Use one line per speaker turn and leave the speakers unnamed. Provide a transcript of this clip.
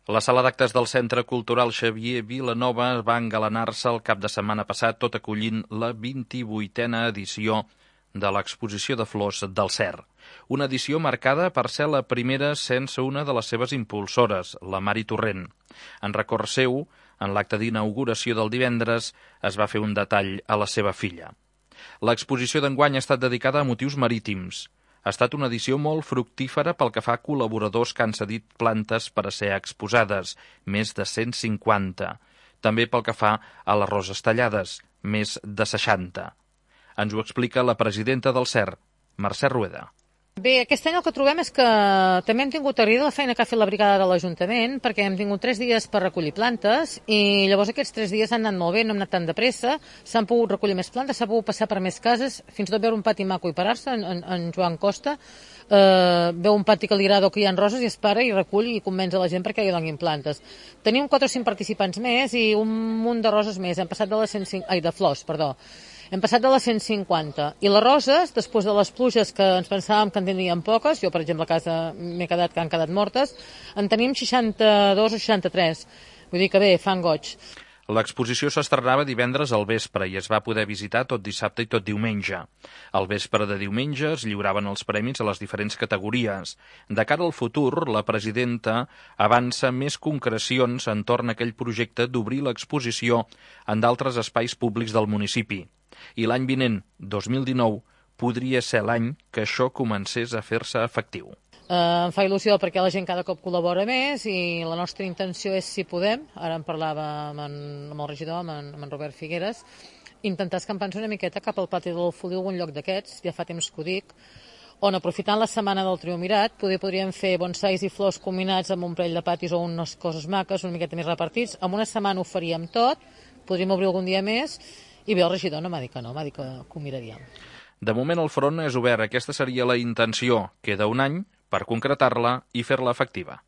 La sala d'actes del Centre Cultural Xavier Vilanova va engalanar-se el cap de setmana passat, tot acollint la 28a edició de l'exposició de flors del Cer. Una edició marcada per ser la primera sense una de les seves impulsores, la Mari Torrent. En record seu, en l'acte d'inauguració del divendres, es va fer un detall a la seva filla. L'exposició d'enguany ha estat dedicada a motius marítims. Ha estat una edició molt fructífera pel que fa a col·laboradors que han cedit plantes per a ser exposades, més de 150. També pel que fa a les roses tallades, més de 60. Ens ho explica la presidenta del CER, Mercè Rueda.
Bé, aquest any el que trobem és que també hem tingut agraïda la feina que ha fet la brigada de l'Ajuntament, perquè hem tingut 3 dies per recollir plantes i llavors aquests 3 dies han anat molt bé, no hem anat tan de pressa, s'han pogut recollir més plantes, s'ha pogut passar per més cases, fins i tot veure un pati maco i parar-se, en Joan Costa, veu un pati que li agrada o que hi ha roses i es para i recull i convenç a la gent perquè hi donin plantes. Tenim 4 o 5 participants més i un munt de roses més, hem passat de les 150, de flors, perdó. Hem passat de les 150. I les roses, després de les pluges que ens pensàvem que en tindríem poques, jo per exemple a casa m'he quedat que han quedat mortes, en tenim 62 o 63. Vull dir que bé, fan goig.
L'exposició s'estrenava divendres al vespre i es va poder visitar tot dissabte i tot diumenge. Al vespre de diumenge es lliuraven els premis a les diferents categories. De cara al futur, la presidenta avança més concrecions entorn a aquell projecte d'obrir l'exposició en d'altres espais públics del municipi. I l'any vinent, 2019, podria ser l'any que això comencés a fer-se efectiu.
Em fa il·lusió perquè la gent cada cop col·labora més i la nostra intenció és, si podem, ara en parlava amb el regidor, amb en Robert Figueres, intentar escampar-nos una miqueta cap al pati de l'Alfolí o algun lloc d'aquests, ja fa temps que ho dic, on aprofitant la setmana del Triumvirat podríem fer bonsais i flors combinats amb un parell de patis o unes coses maques, una miqueta més repartits. En una setmana ho faríem tot, podríem obrir algun dia més, i bé, el regidor no m'ha dit que no, m'ha dit que ho miraríem.
De moment el front és obert, aquesta seria la intenció. Queda un any per concretar-la i fer-la efectiva.